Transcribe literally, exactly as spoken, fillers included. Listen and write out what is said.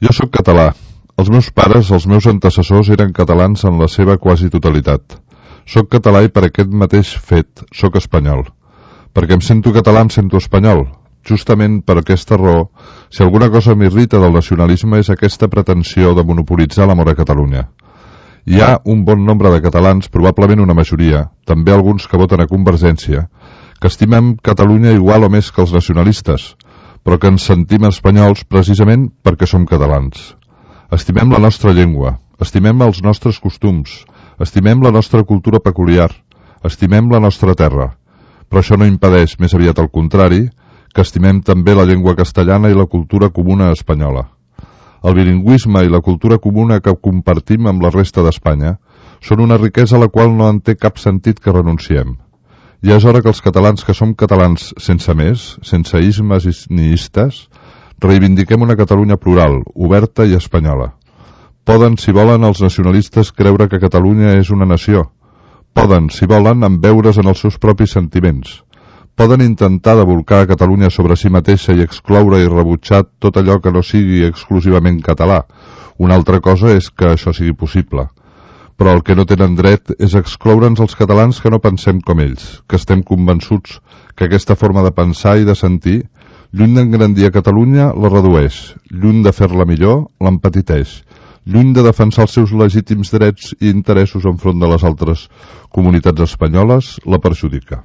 Jo sóc català. Els meus pares, els meus antecessors, eren catalans en la seva quasi totalitat. Sóc català i per aquest mateix fet sóc espanyol. Perquè em sento català em sento espanyol. Justament per aquesta raó, si alguna cosa m'irrita del nacionalisme és aquesta pretensió de monopolitzar l'amor a Catalunya. Hi ha un bon nombre de catalans, probablement una majoria, també alguns que voten a Convergència, que estimem Catalunya igual o més que els nacionalistes, però que ens sentim espanyols precisament perquè som catalans. Estimem la nostra llengua, estimem els nostres costums, estimem la nostra cultura peculiar, estimem la nostra terra, però això no impedeix, més aviat al contrari, que estimem també la llengua castellana i la cultura comuna espanyola. El bilingüisme i la cultura comuna que compartim amb la resta d'Espanya són una riquesa a la qual no en té cap sentit que renunciem. Ja és hora que els catalans que som catalans sense més, sense ismes ni istes, reivindiquem una Catalunya plural, oberta i espanyola. Poden, si volen, els nacionalistes creure que Catalunya és una nació. Poden, si volen, embeure's en els seus propis sentiments. Poden intentar de volcar a Catalunya sobre si mateixa i excloure i rebutjar tot allò que no sigui exclusivament català. Una altra cosa és que això sigui possible. Però el que no tenen dret és excloure'ns els catalans que no pensem com ells, que estem convençuts que aquesta forma de pensar i de sentir, lluny d'engrandir a Catalunya, la redueix, lluny de fer-la millor, l'empetiteix, lluny de defensar els seus legítims drets i interessos enfront de les altres comunitats espanyoles, la perjudica.